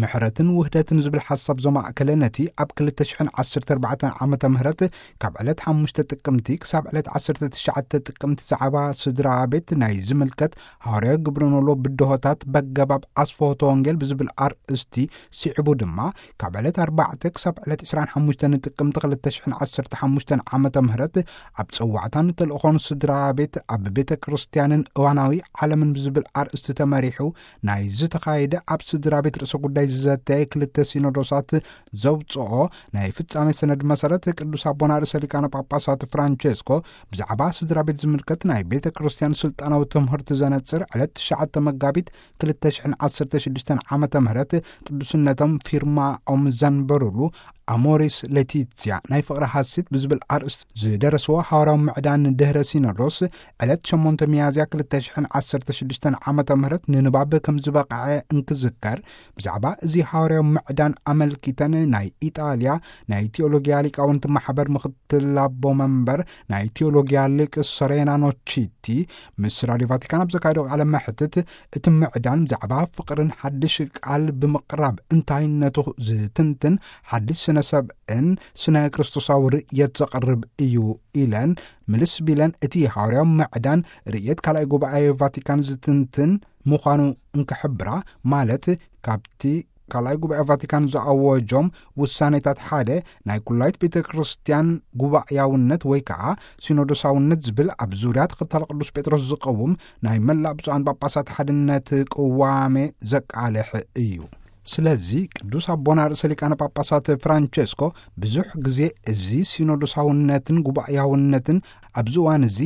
ምሕረትን ውህደትን ዝብል ሓሳብ ዘማእከለ፣ ነቲ ኣብ ክልተ ሽሕን ዓሰርተ ኣርባዕተን ዓመተ ምህረት ካብ ዕለት ሓሙሽተ ጥቅምቲ ክሳብ ዕለት ዓሰርተ ትሽዓተ ጥቅምቲ ዛዕባ ስድራ ቤት ናይ ዝምልከት ሃዋርያዊ ግብረ ኖሎ ብድሆታት በገባብ ኣስፍሆተ ወንጌል ብዝብል ኣርእስቲ ስዒቡ ድማ፣ ካብ ዕለት ኣርባዕተ ክሳብ ዕለት ዕስራን ሓሙሽተን ጥቅምቲ ክልተ ሽሕን ዓሰርተ ሓሙሽተን ዓመተ ምህረት ኣብ ጸዋዕታን ተልእኾን ስድራ ቤት ኣብ ቤተ ክርስቲያንን እዋናዊ ዓለምን ብዝብል ኣርእስቲ ተመሪሑ ናይ ዝተኻየደ ኣብ ስድራ ቤት ርእሰ ጉዳይ ዝዘተየ ክልተ ሲኖዶሳት ዘውጽኦ ናይ ፍጻሜ ሰነድ መሰረት፣ ቅዱስ ኣቦና ርእሰ ሊቃነ ጳጳሳት ፍራንቸስኮ ብዛዕባ ስድራ ቤት ዝምልከት ናይ ቤተ ክርስቲያን ስልጣናዊ ትምህርቲ ዘነጽር ዕለት ትሽዓተ መጋቢት ክልተ ሽሕን ዓሰርተ ሽዱሽተን ዓመተ ምህረት ቅዱስነቶም ፊርማኦም ዘንበሩሉ ኣሞሪስ ሌቲትስያ ናይ ፍቕሪ ሃሴት ብዝብል ኣርእስቲ ዝደረስዎ ሃዋርያዊ ምዕዳን ድህረ ሲኖዶስ ዕለት ሸሞንተ ሚያዝያ ክልተ ሽሕን ዓሰርተ ሽዱሽተን ዓመተ ምህረት ንንባብ ከም ዝበቕዐ እንክዝከር፣ ብዛዕባ እዚ ሃዋርያዊ ምዕዳን ኣመልኪተን ናይ ኢጣልያ ናይ ቲዮሎጊያ ሊቃውንቲ ማሕበር ምኽትል ኣቦ መንበር ናይ ቲዮሎጊያ ሊቅ ሶሬና ኖቺቲ ምስ ራድዮ ቫቲካን ኣብ ዘካየዶ ቃለ መሕትት፣ እቲ ምዕዳን ብዛዕባ ፍቕርን ሓድሽ ቃል ብምቕራብ እንታይነቱ ዝትንትን ሓድሽ ስነ ሰብእን ስነ ክርስቶሳዊ ርእየት ዘቕርብ እዩ ኢለን፣ ምልስ ቢለን እቲ ሃዋርያዊ ምዕዳን ርእየት ካልኣይ ጉባኤ ቫቲካን ዝትንትን ምዃኑ እንክሕብራ፣ ማለት ካብቲ ካልኣይ ጉባኤ ቫቲካን ዝኣወጆም ውሳኔታት ሓደ ናይ ኩላይት ቤተ ክርስቲያን ጉባኤያውነት ወይ ከዓ ሲኖዶሳውነት ዝብል ኣብ ዙርያ ተኸታሊ ቅዱስ ጴጥሮስ ዝቐውም ናይ መላእ ብፁዓን ጳጳሳት ሓድነት ቅዋሜ ዘቃልሕ እዩ። ስለዚ ቅዱስ ኣቦና ርእሰ ሊቃነ ጳጳሳት ፍራንቸስኮ ብዙሕ ግዜ እዚ ሲኖዶሳውነትን ጉባኤያውነትን ኣብዚ እዋን እዚ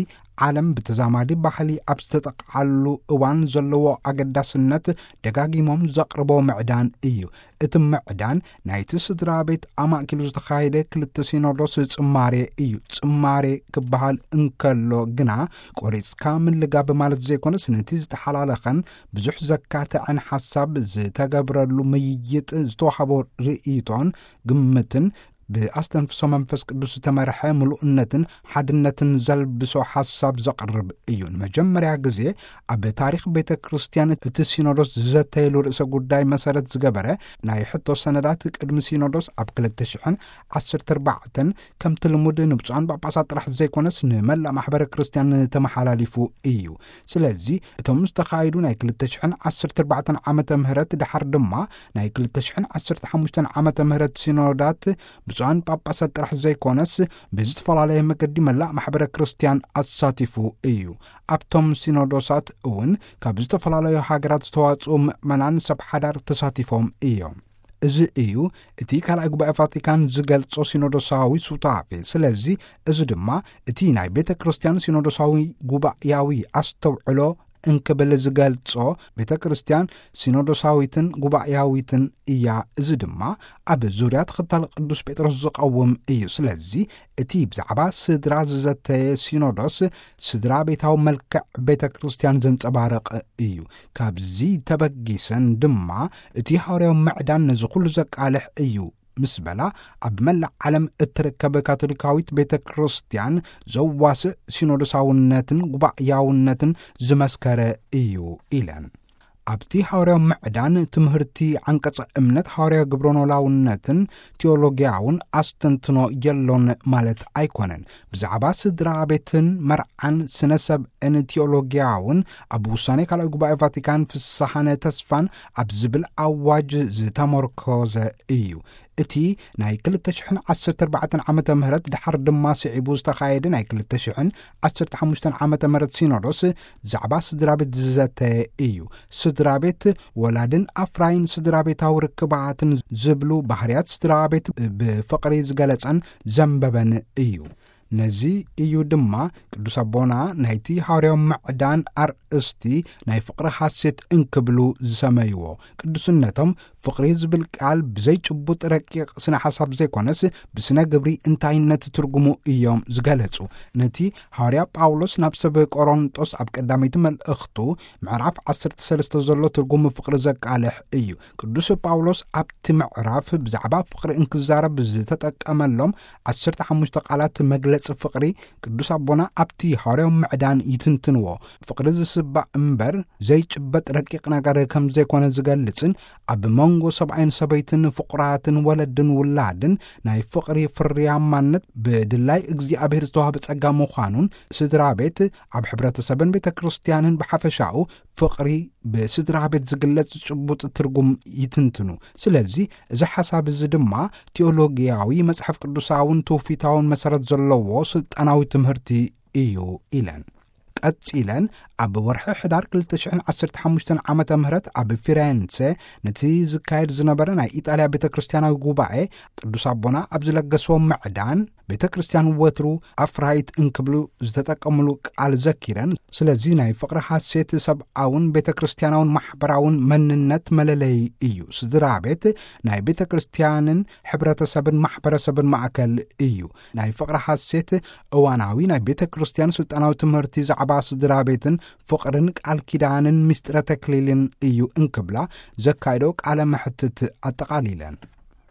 ዓለም ብተዛማዲ ባህሊ ኣብ ዝተጠቕዓሉ እዋን ዘለዎ ኣገዳስነት ደጋጊሞም ዘቕርቦ ምዕዳን እዩ። እቲ ምዕዳን ናይቲ ስድራ ቤት ኣማእኪሉ ዝተኻየደ ክልተ ሲኖዶስ ጽማሬ እዩ። ጽማሬ ክበሃል እንከሎ ግና ቆሪጽካ ምልጋብ ማለት ዘይኮነስ፣ ነቲ ዝተሓላለኸን ብዙሕ ዘካተዐን ሓሳብ ዝተገብረሉ ምይይጥ ዝተዋህቦ ርእይቶን ግምትን ብኣስተንፍሶ መንፈስ ቅዱስ ዝተመርሐ ምሉእነትን ሓድነትን ዘልብሶ ሓሳብ ዘቕርብ እዩ። ንመጀመርያ ግዜ ኣብ ታሪኽ ቤተ ክርስቲያን እቲ ሲኖዶስ ዝዘተየሉ ርእሰ ጉዳይ መሰረት ዝገበረ ናይ ሕቶ ሰነዳት ቅድሚ ሲኖዶስ ኣብ ክልተ ሽሕን ዓሰርተ ኣርባዕተን ከምቲ ልሙድ ንብፁዓን ጳጳሳት ጥራሕ ዘይኮነስ ንመላእ ማሕበረ ክርስቲያን ተመሓላሊፉ እዩ። ስለዚ እቶም ዝተኻየዱ ናይ ክልተ ሽሕን ዓሰርተ ኣርባዕተን ዓመተ ምህረት ድሓር ድማ ናይ ክልተ ሽሕን ዓሰርተ ሓሙሽተን ዓመተ ምህረት ሲኖዳት ብፁዓን ጳጳሳት ጥራሕ ዘይኮነስ ብዝተፈላለየ መገዲ መላእ ማሕበረ ክርስቲያን ኣሳቲፉ እዩ። ኣብቶም ሲኖዶሳት እውን ካብ ዝተፈላለዩ ሃገራት ዝተዋጽኡ ምእመናን ሰብ ሓዳር ተሳቲፎም እዮም። እዚ እዩ እቲ ካልኣይ ጉባኤ ቫቲካን ዝገልጾ ሲኖዶሳዊ ሱታፌ። ስለዚ እዚ ድማ እቲ ናይ ቤተ ክርስቲያን ሲኖዶሳዊ ጉባኤያዊ ኣስተውዕሎ እንክብል ዝገልጾ፣ ቤተ ክርስቲያን ሲኖዶሳዊትን ጉባኤያዊትን እያ። እዚ ድማ ኣብ ዙርያ ተኸታሊ ቅዱስ ጴጥሮስ ዝቐውም እዩ። ስለዚ እቲ ብዛዕባ ስድራ ዝዘተየ ሲኖዶስ ስድራ ቤታዊ መልክዕ ቤተ ክርስቲያን ዘንጸባርቕ እዩ። ካብዚ ተበጊሰን ድማ እቲ ሃዋርያዊ ምዕዳን ነዚ ኩሉ ዘቃልሕ እዩ ምስ በላ፣ ኣብ መላእ ዓለም እትርከብ ካቶሊካዊት ቤተ ክርስቲያን ዘዋስእ ሲኖዶሳውነትን ጉባኤያውነትን ዝመስከረ እዩ ኢለን። ኣብቲ ሃዋርያዊ ምዕዳን ትምህርቲ ዓንቀጸ እምነት ሃዋርያዊ ግብረኖላውነትን ቲዮሎጊያውን ኣስተንትኖ የሎን ማለት ኣይኮነን። ብዛዕባ ስድራ ቤትን መርዓን ስነ ሰብእን ቲዮሎጊያውን ኣብ ውሳኔ ካልኣይ ጉባኤ ቫቲካን ፍስሐነ ተስፋን ኣብ ዝብል ኣዋጅ ዝተመርኮዘ እዩ። እቲ ናይ ክልተ ሽሕን ዓሰርተ ኣርባዕተን ዓመተ ምህረት ድሓር ድማ ስዒቡ ዝተኻየደ ናይ ክልተ ሽሕን ዓሰርተ ሓሙሽተን ዓመተ ምህረት ሲኖዶስ ዛዕባ ስድራ ቤት ዝዘተ እዩ። ስድራ ቤት ወላድን ኣፍራይን ስድራ ቤታዊ ርክባትን ዝብሉ ባህርያት ስድራ ቤት ብፍቕሪ ዝገለጸን ዘንበበን እዩ። ነዚ እዩ ድማ ቅዱስ ኣቦና ናይቲ ሃዋርያዊ ምዕዳን ኣርእስቲ ናይ ፍቕሪ ሐሴት እንክብሉ ዝሰመይዎ። ቅዱስነቶም ፍቕሪ ዝብል ቃል ብዘይጭቡጥ ረቂቕ ስነ ሓሳብ ዘይኮነስ ብስነ ግብሪ እንታይነት ትርጉሙ እዮም ዝገለጹ። ነቲ ሃዋርያ ጳውሎስ ናብ ሰብ ቆሮንጦስ ኣብ ቀዳመይቲ መልእኽቱ ምዕራፍ ዓሰርተ ሰለስተ ዘሎ ትርጉም ፍቕሪ ዘቃልሕ እዩ። ቅዱስ ጳውሎስ ኣብቲ ምዕራፍ ብዛዕባ ፍቕሪ እንክዛረብ ዝተጠቀመሎም ዓሰርተ ሓሙሽተ ቃላት መግለጺ ዝገልጽ ፍቕሪ ቅዱስ ኣቦና ኣብቲ ሃዋርያዊ ምዕዳን ይትንትንዎ። ፍቕሪ ዝስባእ እምበር ዘይጭበጥ ረቂቕ ነገር ከም ዘይኮነ ዝገልጽን ኣብ መንጎ ሰብኣይን ሰበይትን ፍቑራትን ወለድን ውላድን ናይ ፍቕሪ ፍርያማነት ብድላይ እግዚኣብሔር ዝተዋህበ ጸጋ ምዃኑን ስድራ ቤት ኣብ ሕብረተሰብን ቤተ ክርስቲያንን ብሓፈሻኡ ፍቕሪ ብስድራ ቤት ዝግለጽ ጭቡጥ ትርጉም ይትንትኑ። ስለዚ እዚ ሓሳብ እዚ ድማ ቴዎሎጊያዊ መጽሓፍ ቅዱሳውን ትውፊታውን መሰረት ዘለዎ ስልጣናዊ ትምህርቲ እዩ ኢለን። ቀጺለን ኣብ ወርሒ ሕዳር ክልተ ሽሕን ዓሰርተ ሓሙሽተን ዓመተ ምህረት ኣብ ፊሬንሴ ነቲ ዝካየድ ዝነበረ ናይ ኢጣልያ ቤተ ክርስቲያናዊ ጉባኤ ቅዱስ ኣቦና ኣብ ዝለገስዎ ምዕዳን ቤተ ክርስቲያን ወትሩ ኣፍራይት እንክብሉ ዝተጠቀምሉ ቃል ዘኪረን፣ ስለዚ ናይ ፍቕሪ ሓሴት ሰብኣውን ቤተ ክርስቲያናውን ማሕበራውን መንነት መለለይ እዩ። ስድራ ቤት ናይ ቤተ ክርስቲያንን ሕብረተሰብን ማሕበረሰብን ማእከል እዩ። ናይ ፍቕሪ ሓሴት እዋናዊ ናይ ቤተ ክርስቲያን ስልጣናዊ ትምህርቲ ዛዕባ ስድራ ቤትን ፍቕርን ቃል ኪዳንን ምስጢረ ተክሊልን እዩ እንክብላ ዘካየዶ ቃለ መሕትት ኣጠቓሊለን።